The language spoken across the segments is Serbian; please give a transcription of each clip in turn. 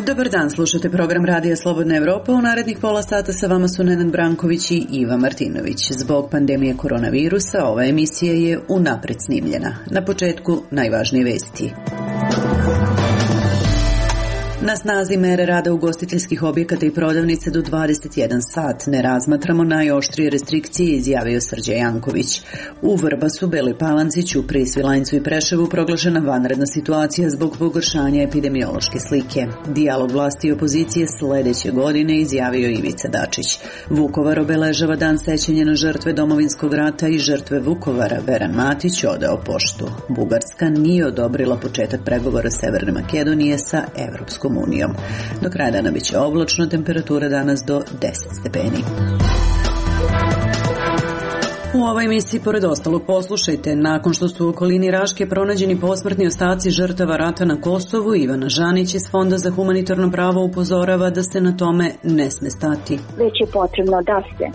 Dobar dan, slušate program Radija Slobodna Evropa. U narednih pola sata sa vama su Nenad Branković i Iva Martinović. Zbog pandemije koronavirusa ova emisija je unapred snimljena. Na početku najvažnije vesti. Na snazi mere rada ugostiteljskih objekata i prodavnice do 21 sat. Ne razmatramo najoštrije restrikcije, izjavio Srđan Janković. U Vrbasu, Beloj Palanci, Ćupriji, Svilajncu i Preševu proglašena vanredna situacija zbog pogoršanja epidemiološke slike. Dijalog vlasti i opozicije sledeće godine, izjavio Ivica Dačić. Vukovar obeležava dan sećanja na žrtve Domovinskog rata i žrtve Vukovara. Veran Matić odao poštu. Bugarska nije odobrila početak pregovora Severne Makedonije sa Evropskom unijom. Do kraja dana biće oblačno, temperatura danas do 10 stepeni. U ovoj emisiji, pored ostalog, poslušajte. Nakon što su u okolini Raške pronađeni posmrtni ostaci žrtava rata na Kosovu, Ivana Žanić iz Fonda za humanitarno pravo upozorava da se na tome ne sme stati. Već je potrebno da se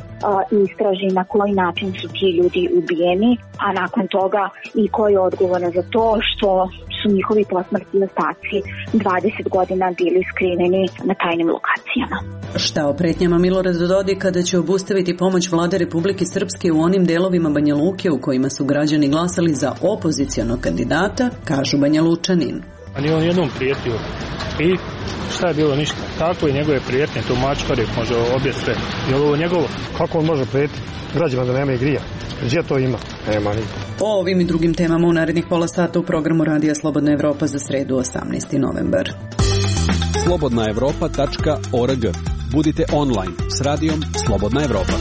istraži na koji način su ti ljudi ubijeni, a nakon toga i ko je odgovoran za to što su njihovi posmrtni ostaci 20 godina bili skriveni na tajnim lokacijama. Šta o pretnjama Milorada Dodika da će obustaviti pomoć Vlade Republike Srpske u onim delovima Banja Luke u kojima su građani glasali za opozicionog kandidata, kažu Banjalučanin. Ali on jednom prijetio i šta je bilo, ništa. Tako i njegove prijetnje, to mačkari može obje sve. Je ovo njegovo? Kako on može prijetiti građima da nema grija? Gdje to ima? Nema nikog. O ovim i drugim temama u narednih pola sata u programu Radija Slobodna Evropa za sredu 18. novembar. slobodnaevropa.org. Budite online s radijom Slobodna Evropa.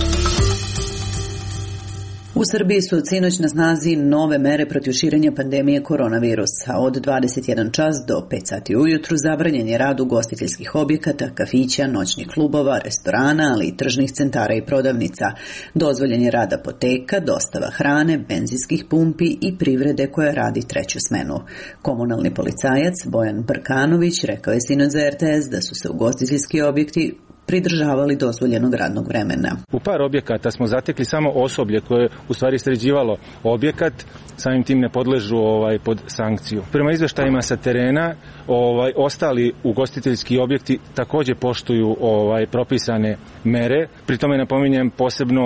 U Srbiji su od sinoć na snazi nove mere protiv širenja pandemije koronavirusa. Od 21 čas do 5 sati ujutru zabranjen je rad ugostiteljskih objekata, kafića, noćnih klubova, restorana, ali i tržnih centara i prodavnica. Dozvoljen je rad apoteka, dostava hrane, benzinskih pumpi i privrede koja radi treću smenu. Komunalni policajac Bojan Brkanović rekao je sinoć za RTS da su se ugostiteljski objekti pridržavali dozvoljenog radnog vremena. U par objekata smo zatekli samo osoblje koje je u stvari sređivalo objekat, samim tim ne podležu pod sankciju. Prema izveštajima sa terena, ostali ugostiteljski objekti također poštuju propisane mere. Pri tome napominjem posebno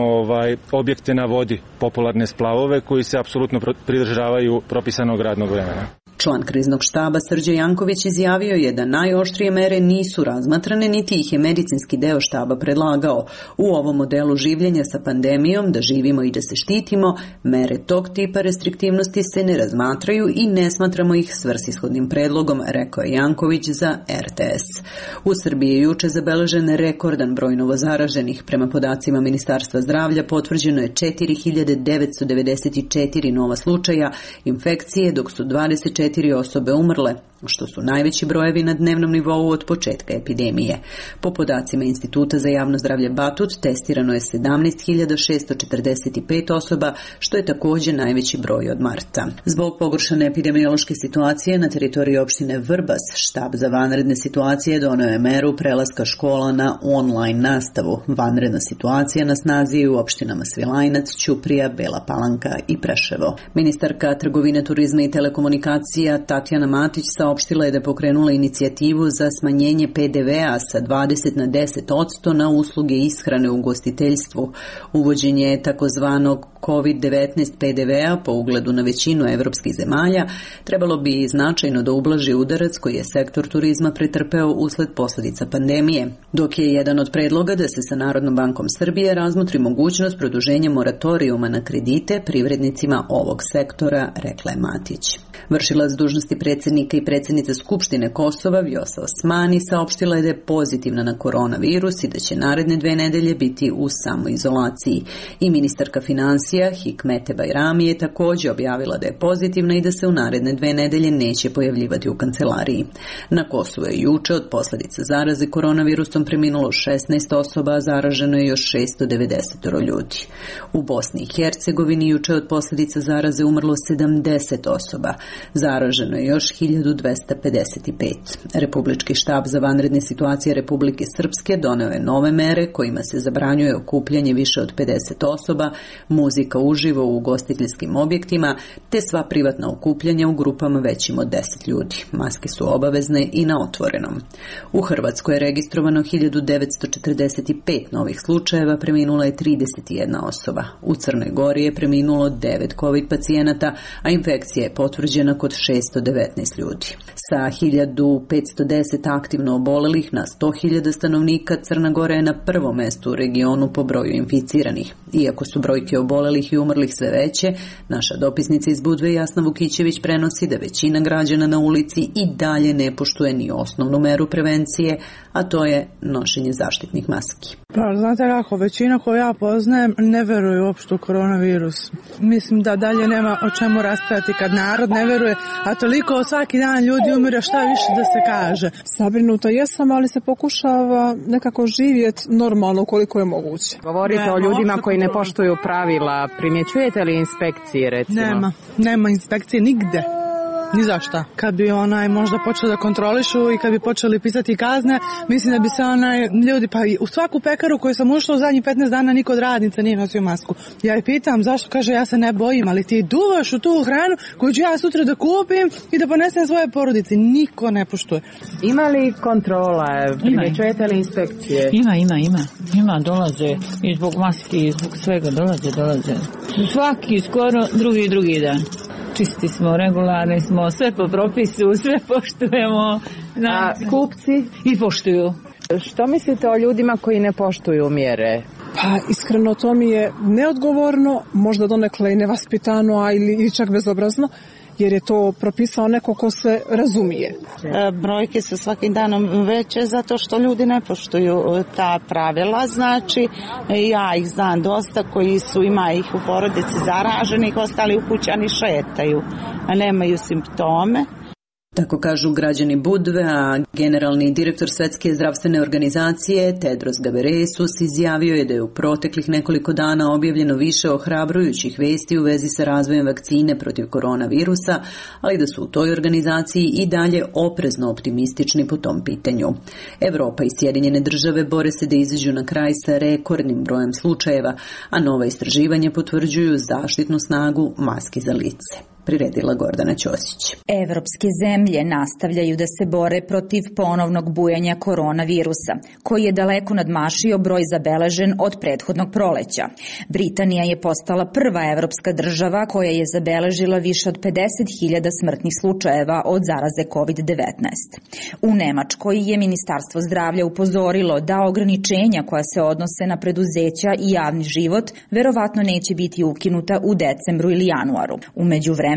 objekte na vodi, popularne splavove koji se apsolutno pridržavaju propisanog radnog vremena. Član kriznog štaba Srđan Janković izjavio je da najoštrije mere nisu razmatrane, niti ih je medicinski deo štaba predlagao. U ovom modelu življenja sa pandemijom, da živimo i da se štitimo, mere tog tipa restriktivnosti se ne razmatraju i ne smatramo ih svrsishodnim predlogom, rekao je Janković za RTS. U Srbiji je juče zabeležen rekordan broj novozaraženih. Prema podacima Ministarstva zdravlja potvrđeno je 4994 nova slučaja infekcije, dok su 24 osobe umrle, što su najveći brojevi na dnevnom nivou od početka epidemije. Po podacima Instituta za javno zdravlje Batut testirano je 17.645 osoba, što je također najveći broj od marta. Zbog pogoršane epidemiološke situacije na teritoriji opštine Vrbas, štab za vanredne situacije doneo je meru prelaska škola na online nastavu. Vanredna situacija na snazi je u opštinama Svilajnac, Ćuprija, Bela Palanka i Preševo. Ministarka trgovine, turizma i telekomunikacija Tatjana Matić saopštila je da je pokrenula inicijativu za smanjenje PDV-a sa 20 na 10% na usluge ishrane u ugostiteljstvu. Uvođenje takozvanog COVID-19 PDV-a po ugledu na većinu evropskih zemalja trebalo bi značajno da ublaži udarac koji je sektor turizma pretrpeo usled posljedica pandemije, dok je jedan od predloga da se sa Narodnom bankom Srbije razmotri mogućnost produženja moratorijuma na kredite privrednicima ovog sektora, rekla je Matić. Vršilac dužnosti predsjednika i predsjednica Skupštine Kosova Vjosa Osmani saopštila je da je pozitivna na koronavirus i da će naredne 2 nedelje biti u samoizolaciji. I ministarka financija Hikmete Bajrami je također objavila da je pozitivna i da se u naredne 2 nedelje neće pojavljivati u kancelariji. Na Kosovu je juče od posljedica zaraze koronavirusom preminulo 16 osoba, a zaraženo je još 690 ljudi. U Bosni i Hercegovini juče od posljedica zaraze umrlo 70 osoba. Zaraženo zaraženo je još 1255. Republički štab za vanredne situacije Republike Srpske doneo je nove mere kojima se zabranjuje okupljanje više od 50 osoba, muzika uživo u ugostiteljskim objektima, te sva privatna okupljanja u grupama većim od 10 ljudi. Maske su obavezne i na otvorenom. U Hrvatskoj je registrovano 1945 novih slučajeva, preminula je 31 osoba. U Crnoj Gori je preminulo 9 COVID pacijenata, a infekcija je potvrđena kod 619 ljudi. Sa 1510 aktivno obolelih na 100.000 stanovnika, Crna Gora je na prvom mestu u regionu po broju inficiranih. Iako su brojke obolelih i umrlih sve veće, naša dopisnica iz Budve Jasna Vukićević prenosi da većina građana na ulici i dalje ne poštuje ni osnovnu meru prevencije, a to je nošenje zaštitnih maski. Pa, znate kako, većina koju ja poznajem ne veruje uopšte u koronavirus. Mislim da dalje nema o čemu raspraviti kad narod ne veruje, a toliko svaki dan ljudi umire, šta više da se kaže. Zabrinuta jesam, ali se pokušava nekako živjeti normalno koliko je moguće. Govorite o ljudima koji ne poštuju pravila. Primjećujete li inspekcije, recimo? Nema inspekcije nigde. Ni za šta. Kad bi možda počeli da kontrolišu i kad bi počeli pisati kazne, mislim da bi se ljudi, pa u svaku pekaru koju sam ušla u zadnjih 15 dana niko od radnica nije nosio masku. Ja je pitam zašto, kaže ja se ne bojim, ali ti duvaš u tu hranu koju ću ja sutra da kupim i da ponesem svoje porodici. Niko ne poštuje. Ima li kontrola? Primjećujete li inspekcije? Ima, dolaze i zbog maski i zbog svega dolaze. Svaki skoro drugi dan. Čisti smo, regularni smo, sve po propisu, sve poštujemo. A kupci? I poštuju. Što mislite o ljudima koji ne poštuju mjere? Pa iskreno to mi je neodgovorno, možda donekle i nevaspitano, ili čak bezobrazno, jer je to propisao neko ko se razumije. Brojke su svakim danom veće zato što ljudi ne poštuju ta pravila, znači ja ih znam dosta koji ima ih u porodici zaraženih, ostali u kućani šetaju, a nemaju simptome. Tako kažu građani Budve, a generalni direktor Svetske zdravstvene organizacije Tedros Ghebreyesus izjavio je da je u proteklih nekoliko dana objavljeno više ohrabrujućih vesti u vezi sa razvojem vakcine protiv koronavirusa, ali da su u toj organizaciji i dalje oprezno optimistični po tom pitanju. Evropa i Sjedinjene države bore se da izađu na kraj sa rekordnim brojem slučajeva, a nova istraživanja potvrđuju zaštitnu snagu maski za lice. Priredila Gordana Ćosić. Evropske zemlje nastavljaju da se bore protiv ponovnog bujanja koronavirusa, koji je daleko nadmašio broj zabeležen od prethodnog proleća. Britanija je postala prva evropska država koja je zabeležila više od 50.000 smrtnih slučajeva od zaraze COVID-19. U Nemačkoj je Ministarstvo zdravlja upozorilo da ograničenja koja se odnose na preduzeća i javni život verovatno neće biti ukinuta u decembru ili januaru. U međuvremenu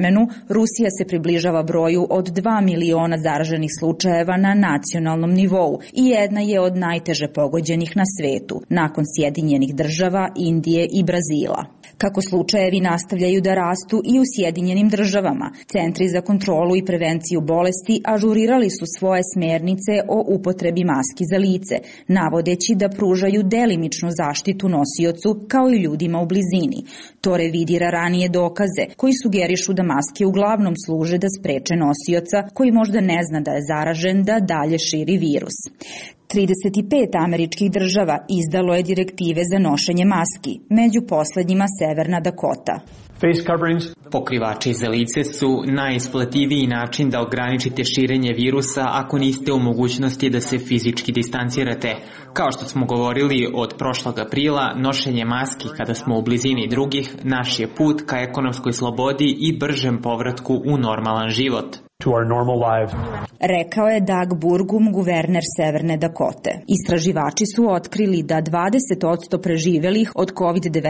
Rusija se približava broju od 2 miliona zaraženih slučajeva na nacionalnom nivou i jedna je od najteže pogođenih na svetu, nakon Sjedinjenih država, Indije i Brazila. Kako slučajevi nastavljaju da rastu i u Sjedinjenim državama, Centri za kontrolu i prevenciju bolesti ažurirali su svoje smernice o upotrebi maski za lice, navodeći da pružaju delimičnu zaštitu nosiocu kao i ljudima u blizini. To revidira ranije dokaze koji sugerišu da maske uglavnom služe da spreče nosioca koji možda ne zna da je zaražen da dalje širi virus. 35 američkih država izdalo je direktive za nošenje maski, među poslednjima Severna Dakota. Pokrivači za lice su najisplativiji način da ograničite širenje virusa ako niste u mogućnosti da se fizički distancirate. Kao što smo govorili od prošlog aprila, nošenje maski kada smo u blizini drugih naš je put ka ekonomskoj slobodi i bržem povratku u normalan život. Rekao je Doug Burgum, guverner Severne Dakote. Istraživači su otkrili da 20% preživelih od COVID-19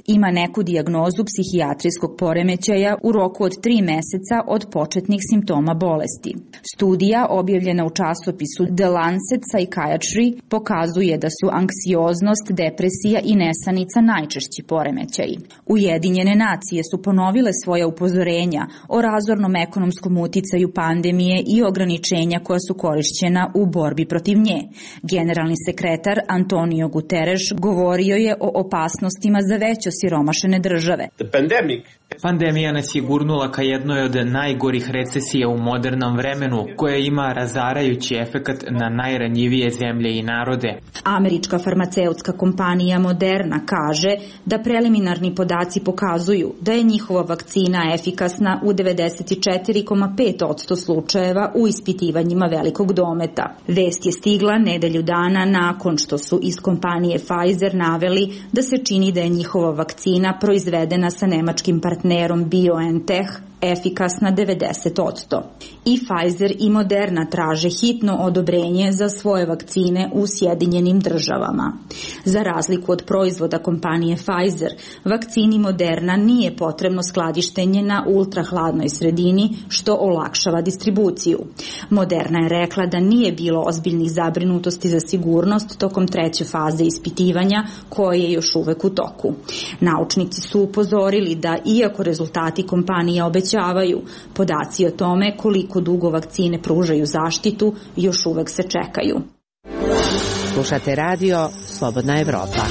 ima neku dijagnozu psihijatrijskog poremećaja u roku od 3 meseca od početnih simptoma bolesti. Studija, objavljena u časopisu The Lancet Psychiatry, pokazuje da su anksioznost, depresija i nesanica najčešći poremećaji. Ujedinjene nacije su ponovile svoja upozorenja o razornom ekonomskom uticaju uticaju pandemije i ograničenja koja su korišćena u borbi protiv nje. Generalni sekretar Antonio Guterres govorio je o opasnostima za već osiromašene države. Pandemija nas je gurnula ka jednoj od najgorih recesija u modernom vremenu, koja ima razarajući efekat na najranjivije zemlje i narode. Američka farmaceutska kompanija Moderna kaže da preliminarni podaci pokazuju da je njihova vakcina efikasna u 94,5% slučajeva u ispitivanjima velikog dometa. Vest je stigla nedelju dana nakon što su iz kompanije Pfizer naveli da se čini da je njihova vakcina proizvedena sa nemačkim partnerom BioNTech efikasna 90%. I Pfizer i Moderna traže hitno odobrenje za svoje vakcine u Sjedinjenim državama. Za razliku od proizvoda kompanije Pfizer, vakcini Moderna nije potrebno skladištenje na ultrahladnoj sredini, što olakšava distribuciju. Moderna je rekla da nije bilo ozbiljnih zabrinutosti za sigurnost tokom 3. faze ispitivanja, koje je još uvek u toku. Naučnici su upozorili da, iako rezultati kompanije obećavaju, podaci o tome koliko dugo vakcine pružaju zaštitu još uvek se čekaju. Slušate radio Slobodna Evropa.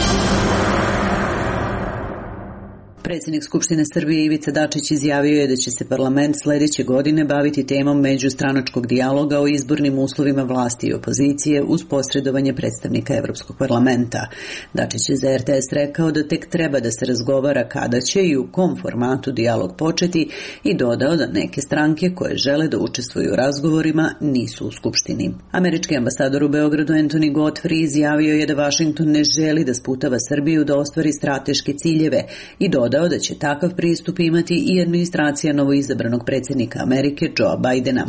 Predsjednik Skupštine Srbije Ivica Dačić izjavio je da će se parlament sledeće godine baviti temom međustranačkog dijaloga o izbornim uslovima vlasti i opozicije uz posredovanje predstavnika Evropskog parlamenta. Dačić je za RTS rekao da tek treba da se razgovara kada će i u kom formatu dijalog početi i dodao da neke stranke koje žele da učestvuju u razgovorima nisu u Skupštini. Američki ambasador u Beogradu Anthony Godfrey izjavio je da Vašington ne želi da sputava Srbiju da ostvari strateške ciljeve i dodao da će takav pristup imati i administracija novoizabranog predsjednika Amerike Joe Bidena.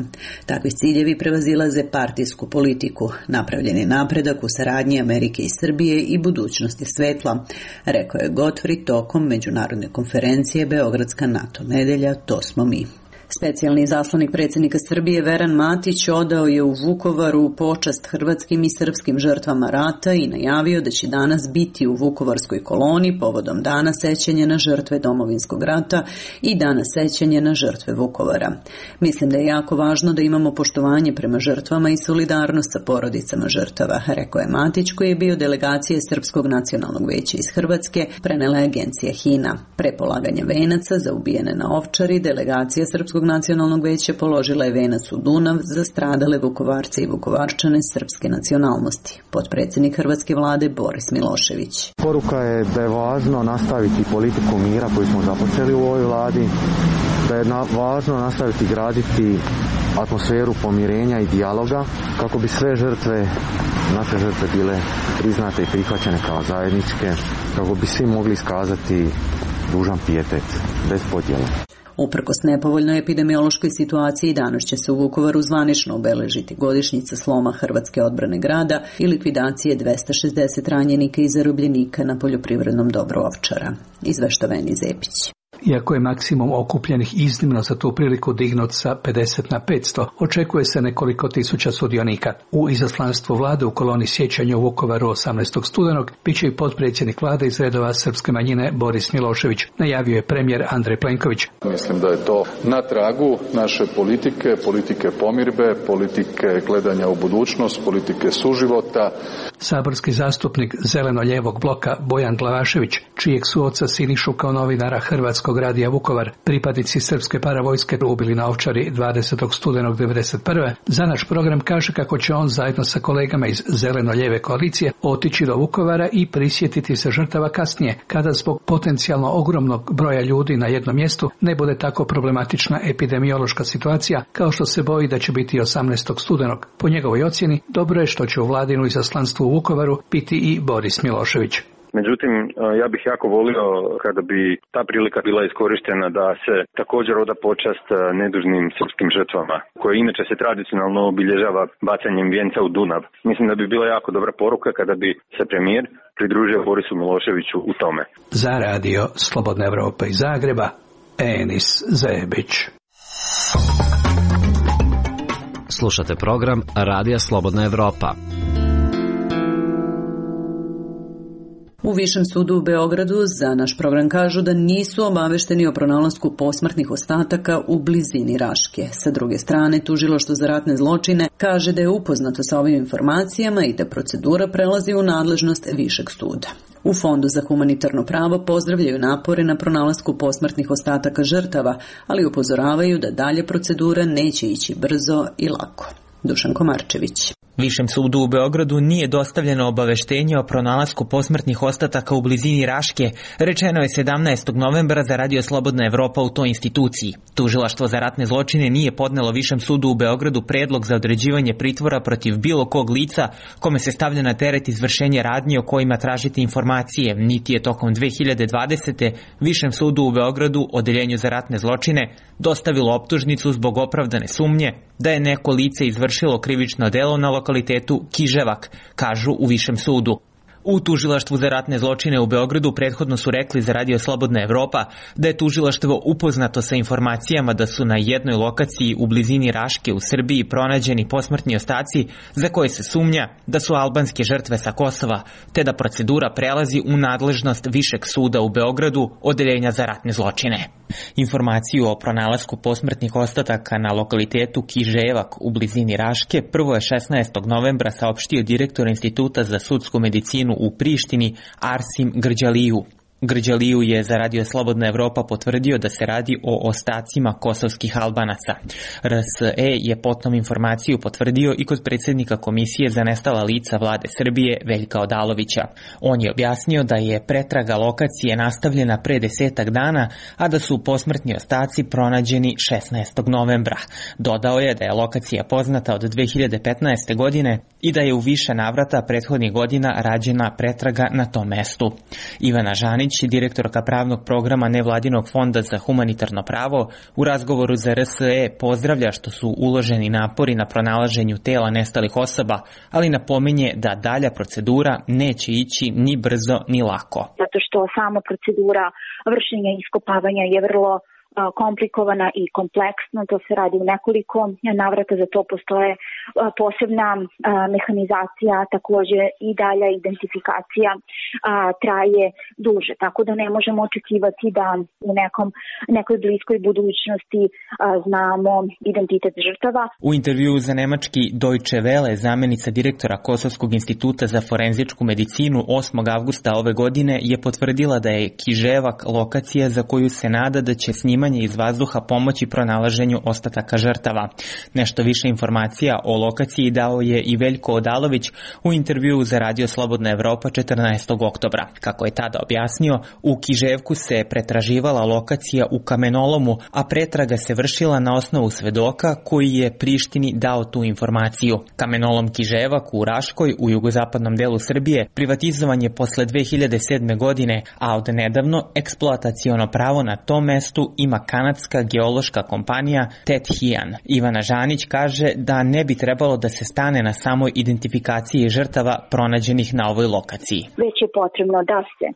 Takvi ciljevi prevazilaze partijsku politiku, napravljeni napredak u saradnji Amerike i Srbije i budućnosti svetla, rekao je Godfrey tokom međunarodne konferencije Beogradska NATO nedelja, to smo mi. Specijalni izaslanik predsjednika Srbije Veran Matić odao je u Vukovaru počast hrvatskim i srpskim žrtvama rata i najavio da će danas biti u Vukovarskoj koloni povodom Dana sećanja na žrtve Domovinskog rata i Dana sećanja na žrtve Vukovara. Mislim da je jako važno da imamo poštovanje prema žrtvama i solidarnost sa porodicama žrtava, rekao je Matić, koji je bio delegacije Srpskog nacionalnog veća iz Hrvatske, prenela je agencija HINA. Pre polaganja venaca za ubijene na Ovčari, delegacija Srpskog nacionalnog veća položila je venac u Dunav za stradale Vukovarce i Vukovarčane srpske nacionalnosti. Potpredsjednik hrvatske vlade Boris Milošević. Poruka je da je važno nastaviti politiku mira koju smo započeli u ovoj vladi, da je važno nastaviti graditi atmosferu pomirenja i dijaloga kako bi sve žrtve, naše žrtve bile priznate i prihvaćene kao zajedničke, kako bi svi mogli iskazati dužan pijetet, bez podjela. Uprkos nepovoljnoj epidemiološkoj situaciji, danas će se u Vukovaru zvanično obeležiti godišnjica sloma hrvatske odbrane grada i likvidacije 260 ranjenika i zarobljenika na poljoprivrednom dobru Ovčara. Izveštava Eni Zepić. Iako je maksimum okupljenih iznimno za tu priliku dignut sa 50 na 500, očekuje se nekoliko tisuća sudionika. U izaslanstvu vlade u koloni sjećanja u Vukovaru 18. studenog biće i potpredsjednik vlade iz redova srpske manjine Boris Milošević, najavio je premijer Andrej Plenković. Mislim da je to na tragu naše politike pomirbe, politike gledanja u budućnost, politike suživota. Saborski zastupnik zeleno-lijevog bloka Bojan Glavašević, čijeg su oca Sinišu kao novinara Hrvatskog radija Vukovar pripadnici srpske paravojske ubili na Ovčari 20. studenog 1991. Za naš program kaže kako će on zajedno sa kolegama iz zeleno-lijeve koalicije otići do Vukovara i prisjetiti se žrtava kasnije, kada zbog potencijalno ogromnog broja ljudi na jednom mjestu ne bude tako problematična epidemiološka situacija kao što se boji da će biti 18. studenog. Po njegovoj ocjeni, dobro je što će u vladinu izaslanstvu u Vukovaru biti i Boris Milošević. Međutim, ja bih jako volio kada bi ta prilika bila iskorištena da se također oda počast nedužnim srpskim žrtvama, koje inače se tradicionalno obilježava bacanjem vijenca u Dunav. Mislim da bi bila jako dobra poruka kada bi se premijer pridružio Borisu Miloševiću u tome. Za radio Slobodna Evropa iz Zagreba, Enis Zebić. Slušate program Radija Slobodna Evropa. U Višem sudu u Beogradu za naš program kažu da nisu obavešteni o pronalasku posmrtnih ostataka u blizini Raške. Sa druge strane, Tužilaštvo za ratne zločine kaže da je upoznato sa ovim informacijama i da procedura prelazi u nadležnost Višeg suda. U Fondu za humanitarno pravo pozdravljaju napore na pronalasku posmrtnih ostataka žrtava, ali upozoravaju da dalje procedura neće ići brzo i lako. Dušan Komarčević. Višem sudu u Beogradu nije dostavljeno obaveštenje o pronalasku posmrtnih ostataka u blizini Raške, rečeno je 17. novembra za Radio Slobodna Evropa u toj instituciji. Tužilaštvo za ratne zločine nije podnelo Višem sudu u Beogradu predlog za određivanje pritvora protiv bilo kog lica kome se stavlja na teret izvršenje radnji o kojima tražite informacije, niti je tokom 2020. Višem sudu u Beogradu, Odeljenju za ratne zločine, dostavilo optužnicu zbog opravdane sumnje da je neko lice izvršilo krivično delo na lokalitetu Kiževak, kažu u Višem sudu. U Tužilaštvu za ratne zločine u Beogradu prethodno su rekli za Radio Slobodna Evropa da je tužilaštvo upoznato sa informacijama da su na jednoj lokaciji u blizini Raške u Srbiji pronađeni posmrtni ostaci za koje se sumnja da su albanske žrtve sa Kosova, te da procedura prelazi u nadležnost Višeg suda u Beogradu, Odeljenja za ratne zločine. Informaciju o pronalasku posmrtnih ostataka na lokalitetu Kiževak u blizini Raške prvo je 16. novembra saopštio direktor Instituta za sudsku medicinu u Prištini Arsim Grđaliju. Grđaliju je za Radio Slobodna Evropa potvrdio da se radi o ostacima kosovskih Albanaca. RSE je potom informaciju potvrdio i kod predsjednika Komisije za nestala lica vlade Srbije Veljka Odalovića. On je objasnio da je pretraga lokacije nastavljena pre 10 dana, a da su posmrtni ostaci pronađeni 16. novembra. Dodao je da je lokacija poznata od 2015. godine i da je u više navrata prethodnih godina rađena pretraga na tom mestu. Ivana Žanić, direktorka pravnog programa Nevladinog fonda za humanitarno pravo, u razgovoru za RSE pozdravlja što su uloženi napori na pronalaženju tela nestalih osoba, ali napominje da dalja procedura neće ići ni brzo ni lako. Zato što sama procedura vršenja iskopavanja je vrlo komplikovana i kompleksna, to se radi u nekoliko navrata, za to postoje posebna mehanizacija, također i dalja identifikacija traje duže, tako da ne možemo očekivati da u nekoj bliskoj budućnosti znamo identitet žrtava. U intervjuu za nemački Deutsche Welle zamenica direktora Kosovskog instituta za forenzičku medicinu 8. avgusta ove godine je potvrdila da je Kiževak lokacija za koju se nada da će snimanje iz vazduha pomoći pronalaženju ostataka žrtava. Nešto više informacija o lokaciji dao je i Veljko Odalović u intervjuu za Radio Slobodna Evropa 14. oktobra. Kako je tada objasnio, u Kiževku se pretraživala lokacija u kamenolomu, a pretraga se vršila na osnovu svedoka koji je Prištini dao tu informaciju. Kamenolom Kiževak u Raškoj, u jugozapadnom delu Srbije, privatizovan je posle 2007. godine, a od nedavno eksploataciono pravo na tom mestu ima kanadska geološka kompanija Tet Hian. Ivana Žanić kaže da ne bi trebalo da se stane na samoj identifikaciji žrtava pronađenih na ovoj lokaciji. Već je potrebno da se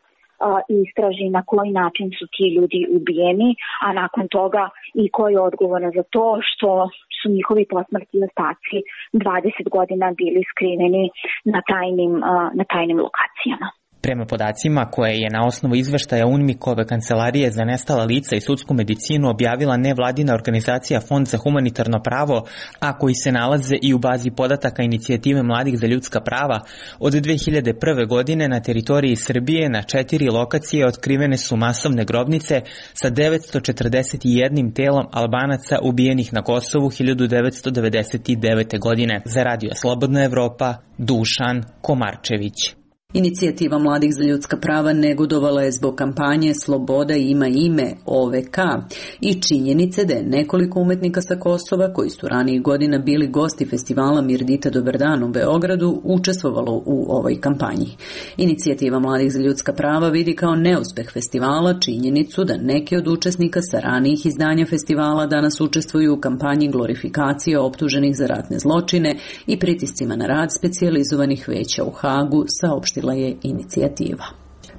istraži na koji način su ti ljudi ubijeni, a nakon toga i ko je odgovoran za to što su njihovi posmrtni ostaci 20 godina bili skriveni na tajnim lokacijama. Prema podacima koje je na osnovu izveštaja UNMIK-ove kancelarije za nestala lica i sudsku medicinu objavila nevladina organizacija Fond za humanitarno pravo, a koji se nalaze i u bazi podataka Inicijative mladih za ljudska prava, od 2001. godine na teritoriji Srbije na 4 lokacije otkrivene su masovne grobnice sa 941 telom Albanaca ubijenih na Kosovu 1999. godine. Za Radio Slobodna Evropa, Dušan Komarčević. Inicijativa mladih za ljudska prava negodovala je zbog kampanje Sloboda ima ime OVK i činjenice da je nekoliko umetnika sa Kosova, koji su ranijih godina bili gosti festivala Mirdita Dobar dan u Beogradu, učestvovalo u ovoj kampanji. Inicijativa mladih za ljudska prava vidi kao neuspeh festivala činjenicu da neki od učesnika sa ranijih izdanja festivala danas učestvuju u kampanji glorifikacije optuženih za ratne zločine i pritiscima na rad specijalizovanih veća u Hagu, saopštila je inicijativa.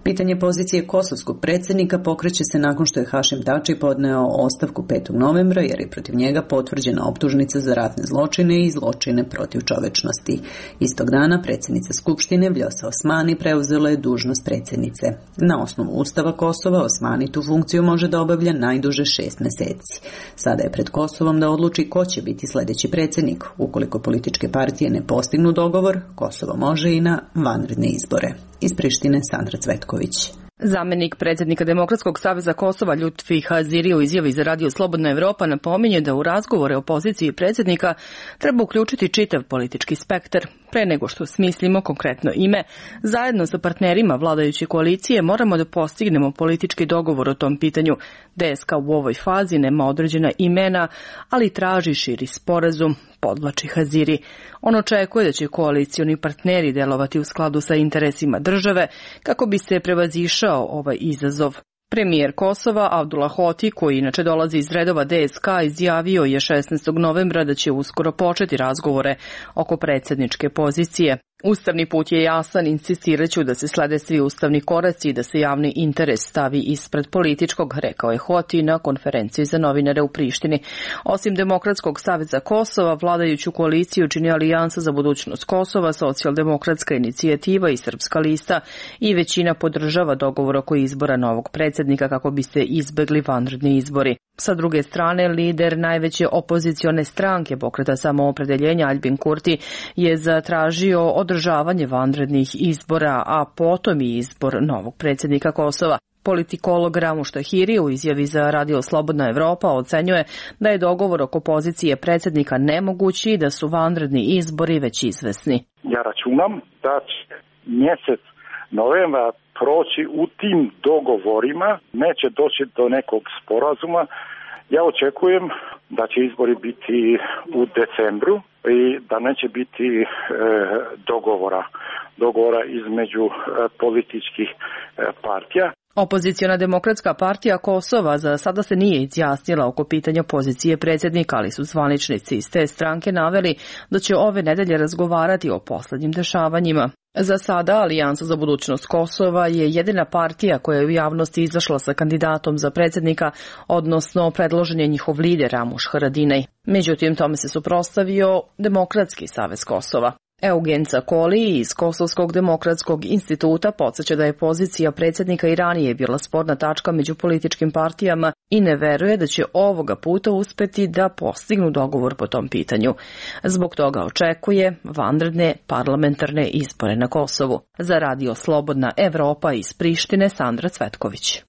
Pitanje pozicije kosovskog predsjednika pokreće se nakon što je Hašim Tači podneo ostavku 5. novembra jer je protiv njega potvrđena optužnica za ratne zločine i zločine protiv čovečnosti. Istog dana predsjednica Skupštine Vljosa Osmani preuzela je dužnost predsjednice. Na osnovu Ustava Kosova Osmani tu funkciju može da obavlja najduže 6 mjeseci. Sada je pred Kosovom da odluči ko će biti sljedeći predsjednik. Ukoliko političke partije ne postignu dogovor, Kosovo može i na vanredne izbore. Iz Prištine Sandra Cvetković. Zamenik predsjednika Demokratskog saveza Kosova Ljutfi Haziri u izjavi za Radio Slobodna Evropa napominje da u razgovore o poziciji predsjednika treba uključiti čitav politički spektar. Pre nego što smislimo konkretno ime, zajedno sa partnerima vladajuće koalicije moramo da postignemo politički dogovor o tom pitanju. DSK u ovoj fazi nema određena imena, ali traži širi sporazum, podvlači Haziri. On očekuje da će koalicioni partneri delovati u skladu sa interesima države kako bi se prevazišao ovaj izazov. Premijer Kosova Abdullah Hoti, koji inače dolazi iz redova DSK, izjavio je 16. novembra da će uskoro početi razgovore oko predsjedničke pozicije. Ustavni put je jasan, insistiraću da se slede svi ustavni koraci i da se javni interes stavi ispred političkog, rekao je Hoti na konferenciji za novinare u Prištini. Osim Demokratskog saveza Kosova, vladajuću koaliciju čini Alijansa za budućnost Kosova, Socijaldemokratska inicijativa i Srpska lista i većina podržava dogovor oko izbora novog predsjednika kako bi se izbegli vanredni izbori. Sa druge strane, lider najveće opozicione stranke Pokreta samoopredeljenja Albin Kurti je zatražio održavanje vanrednih izbora, a potom i izbor novog predsjednika Kosova. Politikolog Ramuš Tahiri u izjavi za Radio Slobodna Evropa ocenjuje da je dogovor oko pozicije predsjednika nemogući i da su vanredni izbori već izvesni. Ja računam da će mjesec novembra proći u tim dogovorima, neće doći do nekog sporazuma. Ja očekujem da će izbori biti u decembru i da neće biti dogovora između političkih partija. Opoziciona Demokratska partija Kosova za sada se nije izjasnila oko pitanja pozicije predsjednika, ali su zvaničnici iz te stranke naveli da će ove nedelje razgovarati o posljednjim dešavanjima. Za sada Alijansa za budućnost Kosova je jedina partija koja je u javnosti izašla sa kandidatom za predsjednika, odnosno predložen je njihov lider Ramuš Haradinaj. Međutim, tome se suprotstavio Demokratski savez Kosova. Eugen Cakoli iz Kosovskog demokratskog instituta podsjeća da je pozicija predsjednika i ranije bila sporna tačka među političkim partijama i ne veruje da će ovoga puta uspeti da postignu dogovor po tom pitanju. Zbog toga očekuje vanredne parlamentarne izbore na Kosovu. Za Radio Slobodna Evropa iz Prištine Sandra Cvetković.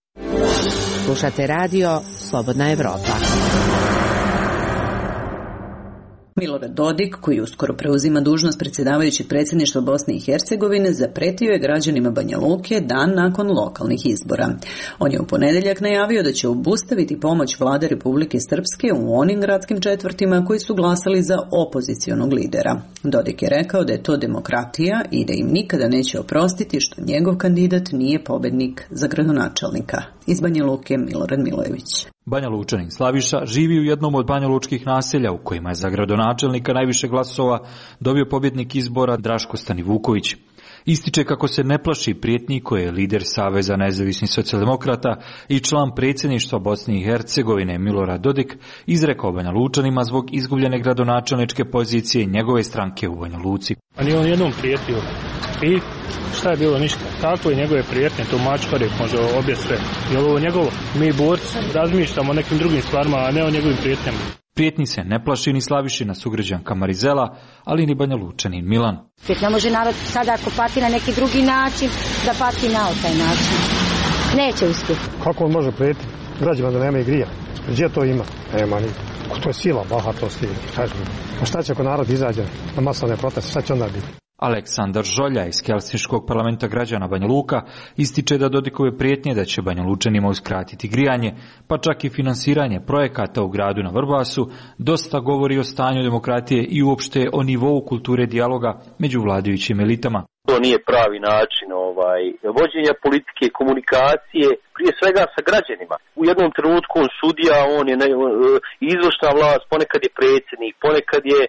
Slušate Radio Slobodna Evropa. Milorad Dodik, koji uskoro preuzima dužnost predsjedavajućeg predsjedništva Bosne i Hercegovine, zapretio je građanima Banja Luke dan nakon lokalnih izbora. On je u ponedjeljak najavio da će obustaviti pomoć vlade Republike Srpske u onim gradskim četvrtima koji su glasali za opozicionog lidera. Dodik je rekao da je to demokratija i da im nikada neće oprostiti što njegov kandidat nije pobednik za gradonačelnika. Iz Banja Luke Milorad Milojević. Banja Lučanin Slaviša živi u jednom od banjalučkih naselja u kojima je za gradonačelnika najviše glasova dobio pobjednik izbora Draško Stanivuković. Ističe kako se ne plaši prijetnji koje je lider Saveza nezavisnih socijaldemokrata i član predsjedništva Bosne i Hercegovine Milorad Dodik izrekao Banja Lučanima zbog izgubljene gradonačelničke pozicije njegove stranke u Banja Luci. A nije on jednom prijetio. I šta je bilo, ništa. Tako je njegove prijetnje, to mačkare može obje sve. I ovo njegovo, mi borci razmišljamo o nekim drugim stvarima, a ne o njegovim prijetnjama. Prijetni se ne plaši ni Slavišina sugrađanka Marizela, ali ni Banja Lučanin Milan. Ne može narod sada ako pati na neki drugi način, da pati na taj način. Neće uspjeti. Kako on može prijetiti građanima da nema grija? Gdje to ima? Nema ni. To je sila, bahatost. A šta će ako narod izađe na masovne proteste? Šta će onda biti? Aleksandar Žolja iz Helsinškog parlamenta građana Banja Luka ističe da Dodikove prijetnje da će Banja Lučanima uskratiti grijanje, pa čak i finansiranje projekata u gradu na Vrbasu, dosta govori o stanju demokratije i uopšte o nivou kulture dijaloga među vladajućim elitama. To nije pravi način vođenja politike, komunikacije, prije svega sa građanima. U jednom trenutku on sudija, on je izvršna vlast, ponekad je predsjednik, ponekad je,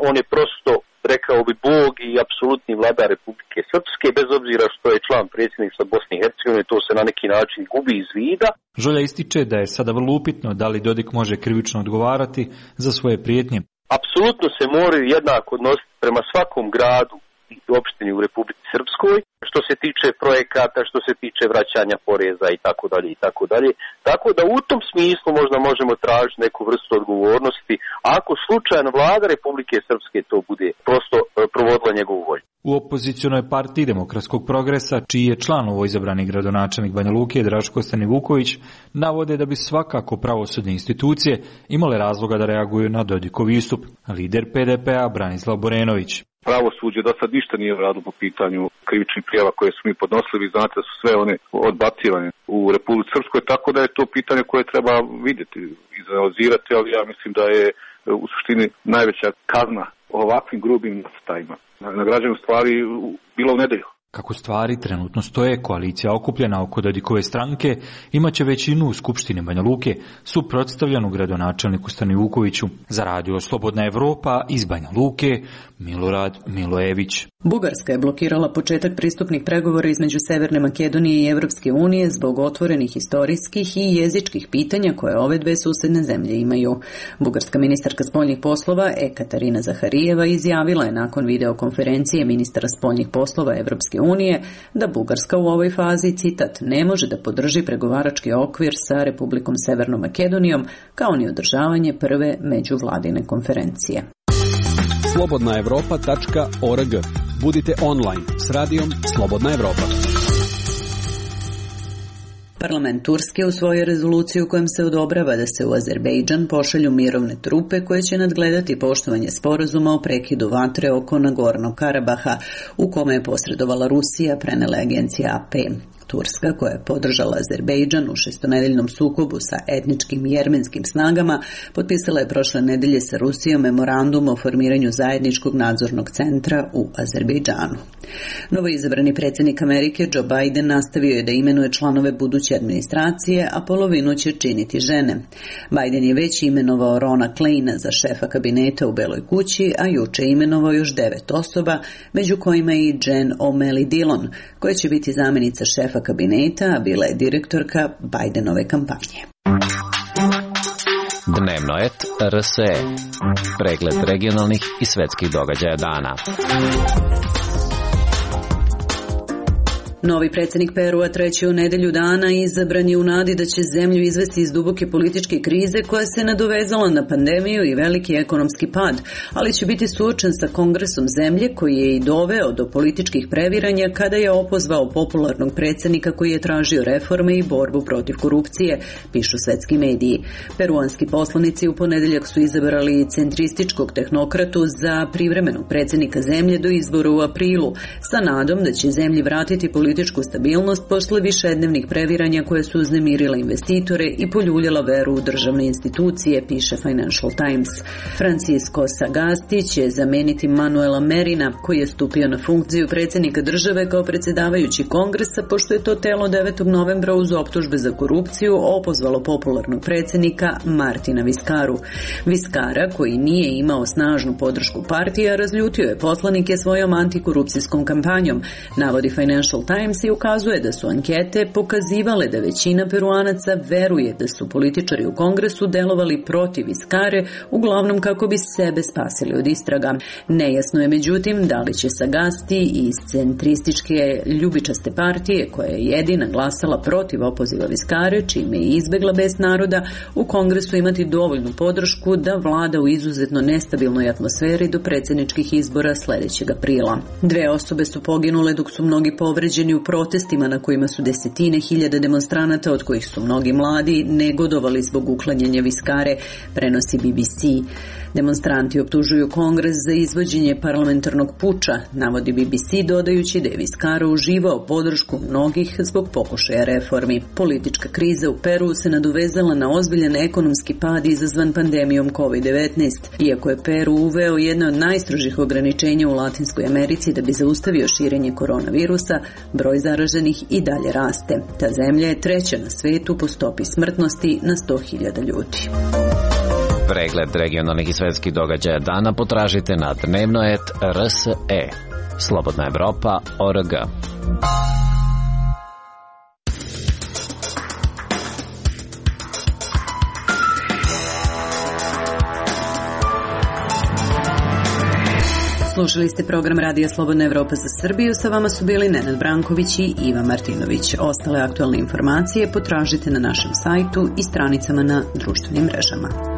on je prosto rekao bi Bog i apsolutni vladar Republike Srpske, bez obzira što je član predsjedništva Bosne i Hercegovine, to se na neki način gubi iz vida. Žolja ističe da je sada vrlo upitno da li Dodik može krivično odgovarati za svoje prijetnje. Apsolutno se moraju jednako odnositi prema svakom gradu i opštini u Republici Srpskoj, što se tiče projekata, što se tiče vraćanja poreza i tako dalje i tako dalje. Tako da u tom smislu možda možemo tražiti neku vrstu odgovornosti, ako slučajno vlada Republike Srpske to bude prosto provodila njegovu volju. U opozicionoj partiji Demokratskog progresa, čiji je član izabrani gradonačelnik Banja Luke Draško Stanivuković, navode da bi svakako pravosudne institucije imale razloga da reaguju na Dodikov istup. Lider PDP-a Branislav Borenović. Pravosuđe do sad ništa nije radilo po pitanju krivičnih prijava koje su mi podnosili. Vi znate da su sve one odbacivane u Republici Srpskoj, tako da je to pitanje koje treba vidjeti, izanalizirati, ali ja mislim da je u suštini najveća kazna ovakvim grubim nastajima na građanu stvari bila u nedelju. Kako stvari trenutno stoje, koalicija okupljena oko Dodikove stranke imaće većinu u Skupštini Banja Luke, suprotstavljenu gradonačelniku Stanivukoviću. Za radio Slobodna Evropa iz Banja Luke, Milorad Milojević. Bugarska je blokirala početak pristupnih pregovora između Severne Makedonije i Evropske unije zbog otvorenih historijskih i jezičkih pitanja koje ove dve susedne zemlje imaju. Bugarska ministarka spoljnih poslova Ekaterina Zaharijeva izjavila je nakon videokonferencije ministara spoljnih poslova Evropske unije da Bugarska u ovoj fazi, citat, ne može da podrži pregovarački okvir sa Republikom Severnom Makedonijom kao ni održavanje prve međuvladine konferencije. slobodnaevropa.org. Budite online s radijom Slobodna Evropa. Parlament Turske usvojio rezoluciju kojom se odobrava da se u Azerbejdžan pošalju mirovne trupe koje će nadgledati poštovanje sporazuma o prekidu vatre oko Nagornog Karabaha, u kome je posredovala Rusija, prenela agencija AP. Turska, koja je podržala Azerbejdžan u šestonedeljnom sukobu sa etničkim jermenskim snagama, potpisala je prošle nedelje sa Rusijom memorandum o formiranju zajedničkog nadzornog centra u Azerbejdžanu. Novoizabrani predsjednik Amerike Joe Biden nastavio je da imenuje članove buduće administracije, a polovinu će činiti žene. Biden je već imenovao Rona Kleina za šefa kabineta u Beloj kući, a juče imenovao još 9 osoba, među kojima i Jen O'Malley Dillon, koja će biti zamjenica šefa kabineta, a bila je direktorka Bidenove kampanje. Dnevno et RSE. Pregled regionalnih i svetskih događaja dana. Novi predsjednik Perua treći u nedelju dana izabran je u nadi da će zemlju izvesti iz duboke političke krize koja se nadovezala na pandemiju i veliki ekonomski pad, ali će biti suočen sa kongresom zemlje koji je i doveo do političkih previranja kada je opozvao popularnog predsjednika koji je tražio reforme i borbu protiv korupcije, pišu svetski mediji. Peruanski poslanici u ponedeljak su izabrali centrističkog tehnokratu za privremenog predsjednika zemlje do izbora u aprilu, sa nadom da će zemlji vratiti političku stabilnost posle višednevnih previranja koje su uznemirile investitore i poljuljala veru u državne institucije, piše Financial Times. Francisco Sagasti će zameniti Manuela Merina, koji je stupio na funkciju predsjednika države kao predsjedavajući kongresa, pošto je to telo 9. novembra uz optužbe za korupciju opozvalo popularnog predsjednika Martina Viskaru. Viskara, koji nije imao snažnu podršku partija, razljutio je poslanike svojom antikorupcijskom kampanjom, navodi Financial Times i ukazuje da su ankete pokazivale da većina Peruanaca veruje da su političari u kongresu delovali protiv Viskare, uglavnom kako bi sebe spasili od istraga. Nejasno je međutim da li će Sagasti iz centrističke ljubičaste partije, koja je jedina glasala protiv opoziva Viskare, čime je izbegla bes naroda, u kongresu imati dovoljnu podršku da vlada u izuzetno nestabilnoj atmosferi do predsjedničkih izbora sljedećeg aprila. 2 osobe su poginule dok su mnogi povređeni u protestima na kojima su desetine hiljada demonstranata, od kojih su mnogi mladi, negodovali zbog uklanjanja Viskare, prenosi BBC. Demonstranti optužuju kongres za izvođenje parlamentarnog puča, navodi BBC, dodajući da je Viskara uživao podršku mnogih zbog pokušaja reformi. Politička kriza u Peru se nadovezala na ozbiljan ekonomski pad izazvan pandemijom COVID-19. Iako je Peru uveo jedno od najstrožih ograničenja u Latinskoj Americi da bi zaustavio širenje koronavirusa, broj zaraženih i dalje raste. Ta zemlja je treća na svetu po stopi smrtnosti na 100.000 ljudi. Pregled regionalnih i svetskih događaja dana potražite na dnevnoet.rse. Slobodna Evropa.org. Slušali ste program Radija Slobodna Evropa za Srbiju. Sa vama su bili Nenad Branković i Iva Martinović. Ostale aktualne informacije potražite na našem sajtu i stranicama na društvenim mrežama.